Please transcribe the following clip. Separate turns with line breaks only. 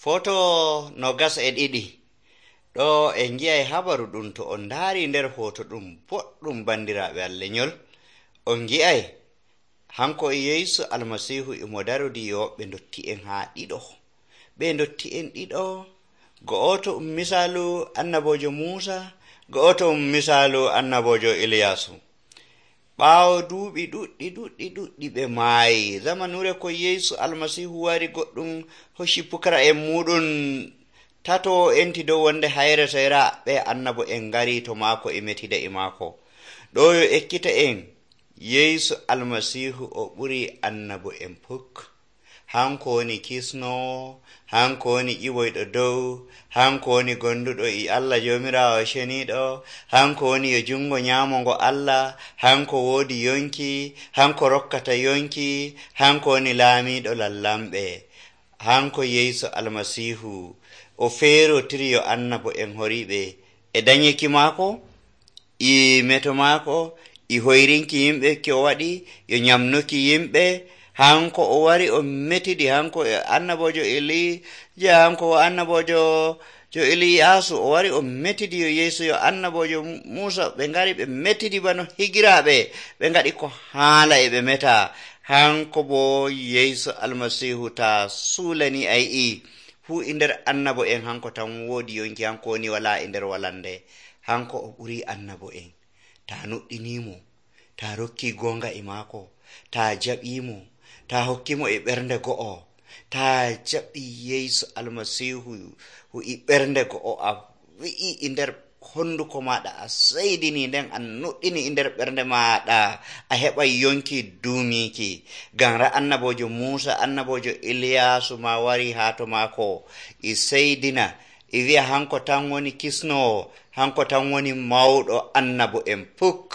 Foto no gas e ɗiɗi ɗo en gi'ay habaru ɗum to on ndaari nder hoto ɗum boɗɗum bandiraaɓe Allah nyol. On gi'ay hanko Yeesu Almasihu imo darudi yoɓɓe ndotti'en haa ɗiɗo. Ɓe ndotti'en ɗiɗo, go'oto misalu annabojo Musa, go'oto misalu annabojo Iliyasu. Ɓaawo duuɓi ɗuɗɗi ɓe maayi. Zamanure ko Yeesu Almasihu wari goɗɗum hoshi pukara'en muɗum tato enti dow wonde hayre sera ɓe annabo en ngari to maako e metida e maako. Ɗo yo ekkita en Yeesu Almasihu o ɓuri annabo en puk. Hanko woni kisno, hanko woni ƴiwoyɗo dow, hanko woni gonduɗo e Allah Jomirawo ceniɗo, hanko woni yo jungo nyamo ngo Allah, hanko woodi yonki, hanko rokkata yonki, hanko woni laamiɗo lallamɓe. Hanko Yeesu Almasihu o feerotiri yo annabo en horiɓe e danyeki maako, e meto maako, e hoyrinki yimɓe ki o waɗi, yo nyamnuki yimɓe. Hanko o wari o metidi, hanko annabojo Elija, hanko annabojo Iliyasu o wari o metidi yo Yeesu yo annabojo Musa, ɓe ngari ɓe metidi bano higiraaɓe, ɓe ngaɗi ko haala e ɓe meta. Hanko bo Yeesu Almasihu ta suulani ay'i fuu e nder annabo en hanko tan woodi yonki, hanko woni wala e nder walande. Hanko o ɓuri annabo en. Ta nuɗɗinimo, ta rokki gonga e maako, ta jaɓimo, ta hokkimo e ɓernde go'o, ta jaɓi Yeesu Almasihu e ɓernde go'o, a wi'i e nder honduko maɗa, a seydini nden a nuɗɗini e nder ɓernde maɗa, a heɓay yonki duumiki. Ngam annabojo Musa, annabojo Iliyasu ma wari haa to maako e seydina e wi'a hanko tan woni kisnowo, hanko tan woni mawɗo annabo en puk.